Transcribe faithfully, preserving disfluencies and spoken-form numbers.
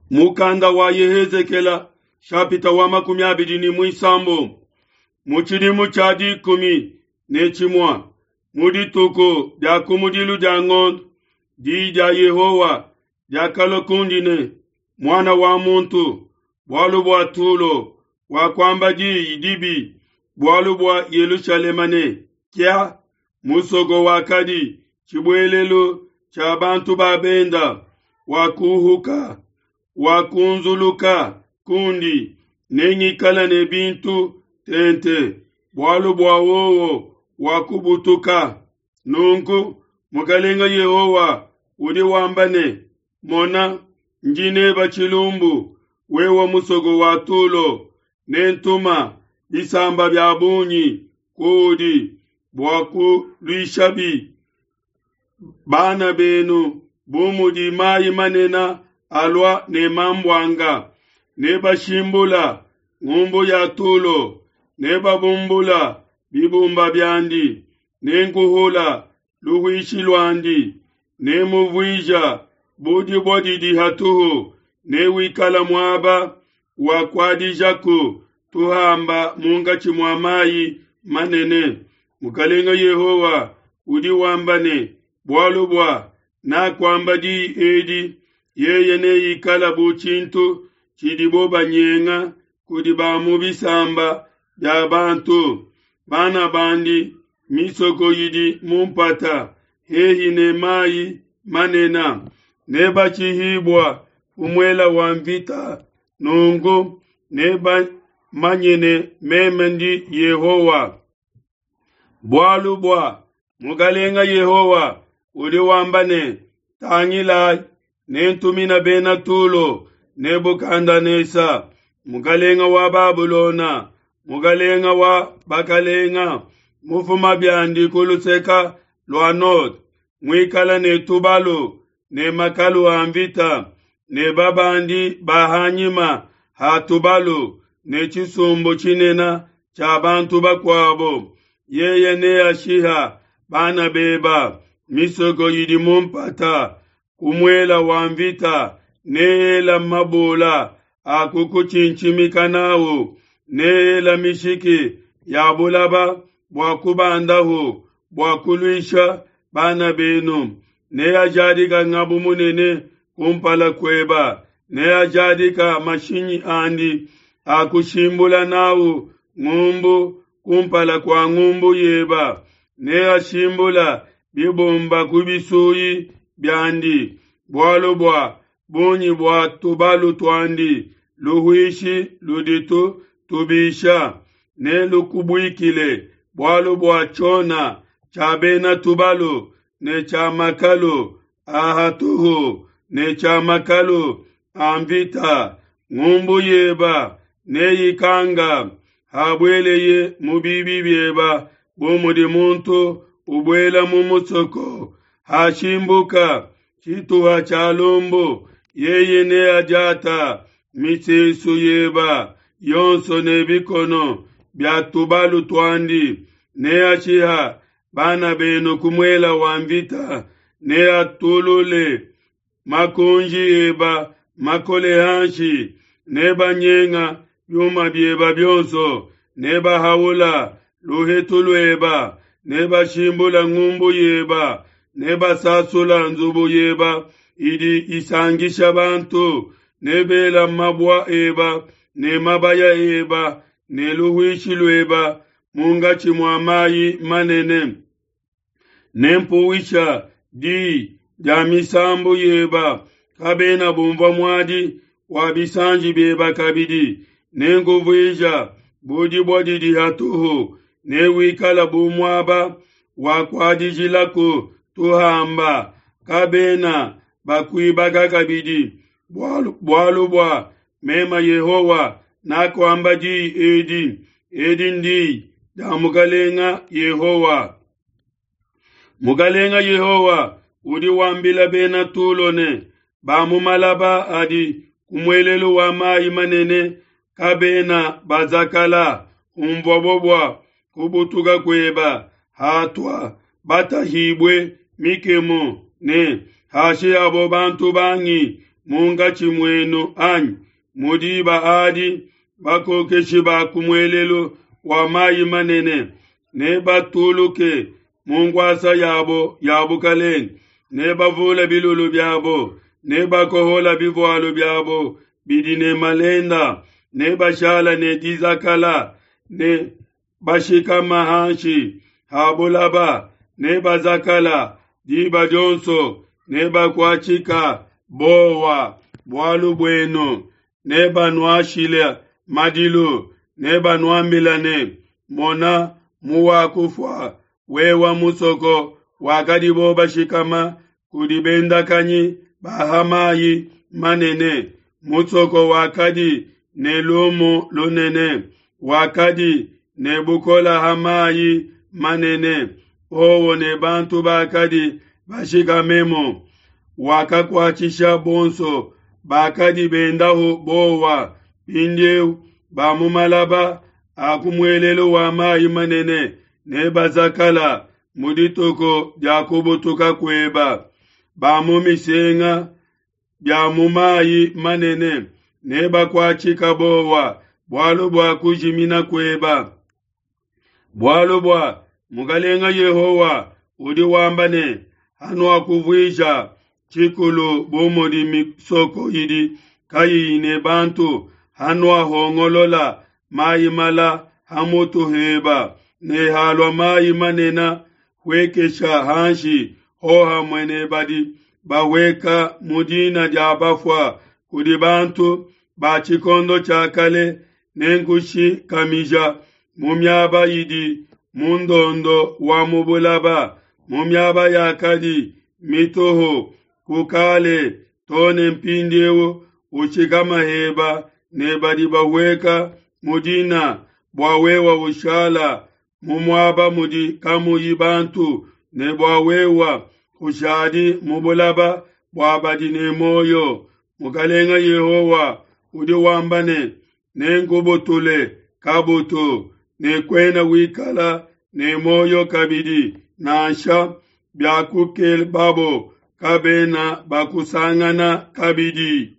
Mukanda wa Yehezekela shapita wa makumi abidi ne muisambombo mu tshidimu tshia dikumi ne tshimua mu dituku dia kumudilu dia ngondo, diyi dia Yehowa diakalua kundi ne, muana wa muntu, bualu bua Tulo wakuamba diyi dibi bualu bua Yelushalema ne, kia musoko wakadi tshibuelelu tshia bantu ba benda wakuhuka wakunzuluka kundi, nengikala ne bintu tente, bualu bua wowo wakubutuka. Nunku Mukelenge Yehowa udi wamba ne, Mona, ndi neba tshilumbu, wewe musoko wa Tulo, nentuma bisamba bia bungi kuudi bua kuluishabi bana benu bu mudi mayi manene alua ne mambuanga. Nebashimbula ngumbu ya Tulo, nebabumbula bibumba biandi, nenkuhula luhuishi luandi, nemuvuija bu dibue didi hatuhu, newikala muaba wa kuadijaku tuhamba munkatshi mua mayi manene. Mukelenge Yehowa udi wamba ne, bualu bua nakuamba diyi edi, yeye neikala bu tshintu tshidibo banyenga kudi ba mu bisamba bia bantu. Bana bandi misoko idi mu mpata hehi ne mayi manene, nebashihibua ku muele wa nvita. Nunku nebamanye ne meme ndi Yehowa. Bualu bua Mukelenge Yehowa udi wamba ne, tangilai, nentumina bena Tulo Nebukadenesa, mukelenge wa Babulona, mukelenge wa bakalenga, mufuma biandi ku luseke lua node, muikala ne tubalu ne makalu a nvita ne babandi ba ha nyima ha tubalu ne tshisumbu tshinene tshia bantu bakuabo. Yeye neashiha bana beba misoko idi mu mpata ku muele wa nvita, neela mabula a kukutshintshimika n'au, neela mishiki ya bulaba bua kubandahu bua kuluisha bana benu. Neajadika ngabu munene kumpala kueba, neajadika mashinyi andi a kushimbula n'au ngumbu kumpala kua ngumbu yeba, neashimbula bibumba ku bisuyi biandi. Bualu bua bungi bua tubalu tuandi, luhuishi luditu tubisha nelukubuikile, bualu bua tshiona tshia bena tubalu ne tshia makalu a hatuhu ne tshia makalu a nvita. Ngumbu yeba neyikanga habueleye mu bibi bieba, bu mudi muntu ubuela mu musoko. Hashimbuka tshituha tshia lumbu, yeye neadiata misesu yeba yonso ne bikono bia tubalu tuandi. Neashiha bana benu ku muele wa nvita, neatulule makunji eba makole hanshi, nebanyenga biuma bieba bionso, nebahaula luhetu lueba, nebashimbula ngumbu yeba, nebasasula nzubu yeba idi isangisha bantu, nebela mabua eba ne mabaya eba ne luhuishi lueba munkatshi mua mayi manene. Nempuwisha diyi dia misambu yeba, kabena bumvua muadi wa bisanji bieba kabidi. Nenkuvuija bu dibue didi hatuhu, newikala bu muaba wa kuadijilaku tuhamba, kabena bakuibaka kabidi. Bualu, bualu bua meme Yehowa nakuamba diyi edi, edi ndiyi dia Mukelenge Yehowa. Mukelenge Yehowa udi wambila bena Tulo ne ba mu malaba adi ku muelelu wa mayi manene kabena bazakala hunvuabo bua kubutuka kueba, hatua batahibue mikemu ne hashihabo bantu bangi munkatshi muenu, anyi? Mu diba adi bakokeshi ba ku muelelu wa mayi manene nebatuluke mu nkuasa yabo ya bukalenge, nebavule bilulu biabo, nebakohola bivualu biabo bidi ne malenda, nebashala ne dizakala, ne bashikama hanshi ha bulaba, nebazakala diba dionso, nebakuatshika bowa bualu buenu, nebanuashile madilu, nebanuambila ne, Mona muwakufua, wewe musoko wakadibo bashikama kudi bendakanyi ba ha mayi manene, musoko wakadi ne lumu lunene, wakadi ne bukole ha mayi manene, wowo ne bantu bakadi bashikamemu, wakakuatshisha bonso bakadi bendahu bowa. Mpindieu ba mu malaba a ku muelelu wa mayi manene nebazakala mu dituku dia kubutuka kueba. Ba mu misenga bia mu mayi manene nebakuatshika bowa bualu bua kujimina kueba. Bualu bua Mukalenga Yehowa udi wamba ne, hanuakuvuija tshikulu bu mudi misoko idi kayiyi ne bantu, hanuahongolola mayi mala ha mutu heba, ne halua mayi manene huekesha hanshi hohamue ne badi bahueka mu dina dia bafua kudi bantu ba tshikondo tshia kale, nenkushikamija mu miaba idi mu ndondo wa mu bulaba, mu miaba yakadi mituhu ku kale to ne mpindieu, ushikama heba ne badi bahueka mu dina, bua wewe ushala mu muaba mudi kamuyi bantu, ne bua wewe kushadi mu bulaba bua badi ne muoyo. Mukalenga Yehowa udi wamba ne, nenkubutule kabutu, ne kuena wikala ne muoyo kabidi, nansha biakukebabo kabena bakusangana kabidi.